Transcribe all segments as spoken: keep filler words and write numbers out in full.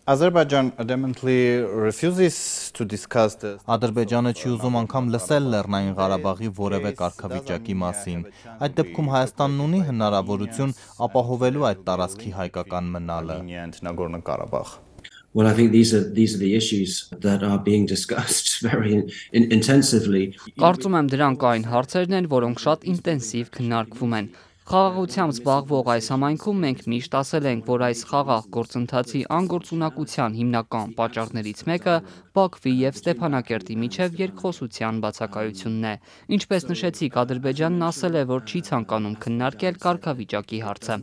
Azerbaijan adamantly refuses to discuss the Ադրբեջանը չի ուզում անգամ լսել Լեռնային Ղարաբաղի որևէ կարգավիճակի մասին։ Այդ դեպքում Հայաստանն ունի հնարավորություն ապահովելու այդ տարածքի հայկական մնալը։ and Nagorno-Karabakh. Well, I think these are these are the issues that are being discussed very in, in, intensively. Կարծում եմ դրանք այն հարցերն են, որոնք շատ ինտենսիվ քննարկվում են։ Խաղաղությամբ զբաղվող այս համայնքում մենք միշտ ասել ենք, որ այս խաղաղ գործընթացի անգործունակության հիմնական պատճառներից մեկը Բաքվի եւ Ստեփանակերտի միջև երկխոսության բացակայությունն է։ Ինչպես նշեցիք, Ադրբեջանն ասել է, որ չի ցանկանում քննարկել կարգավիճակի հարցը,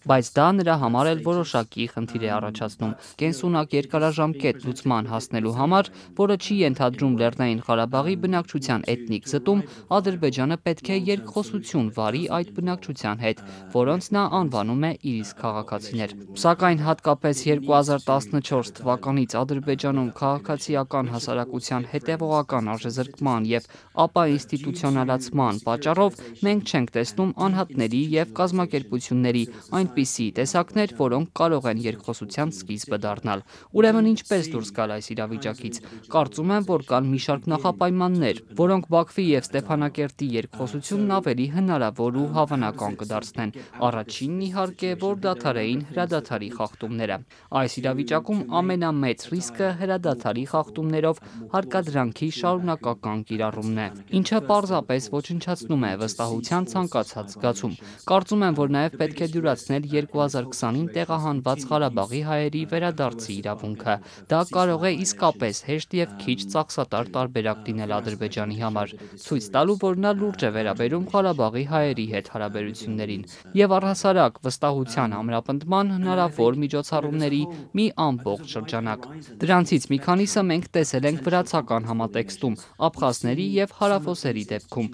բայց դա նրա համար էլ որոշակի խնդիր է առաջացնում։ Կենսունակ երկարաժամկետ լուծման հասնելու համար, որը չի ենթադրում Լեռնային Ղարաբաղի բնակչության էթնիկ զտում, Ադրբեջանը պետք է երկխոսություն վարի այդ բնակչության հետ, որոնց նա անվանում է իր իսկ քաղաքացիներ։ Սակայն հատկապես երկու հազար տասնչորս թվականից Ադրբեջանում քաղաքացիական հասարակության հետևողական արժեզրկման եւ ապա ինստիտուցիոնալացման պատճառով մենք չենք տեսնում անհատների եւ կազմակերպությունների այնպիսի տեսակներ, որոնք կարող են երկխոսության սկիզբը դառնալ։ Ուրեմն ինչպես դուրս գալ այս իրավիճակից։ Կարծում եմ, որ կան մի շարք նախապայմաններ, որոնք Բաքվի եւ Ստեփանակերտի երկխոսությունն ավելի հնարավոր ու հավանական կդարձնեն։ Առաջինն իհարկե, որ դադարեին հրադադարի խախտումները։ Այս իրավիճակում ամենամեծ ռիսկը հրադադարի խախտումներով հարկադրանքի շարունակական կիրառումն է, ինչը պարզապես ոչնչացնում է վստահության ցանկացած զգացում։ Կարծում եմ, որ նաև պետք է դյուրացնել երկու հազար քսանին տեղահանված Ղարաբաղի հայերի վերադարձի իրավունքը։ Դա կարող է իսկապես հեշտ եւ քիչ ծախսատար տարբերակ լինել Ադրբեջանի համար, ցույց տալու, որ նա լուրջ է վերաբերում Ղարաբաղի հայերի հետ հարաբերություններին եւ առհասարակ վստահության ամրապնդման հնարավոր միջոցառումների մի ամբողջ շրջանակ։ Դրանցից մի քանիսը մենք տեսել ենք վրացական համատեքստում, աբխազների եւ հարավոսերի դեպքում։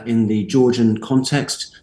In the Georgian context,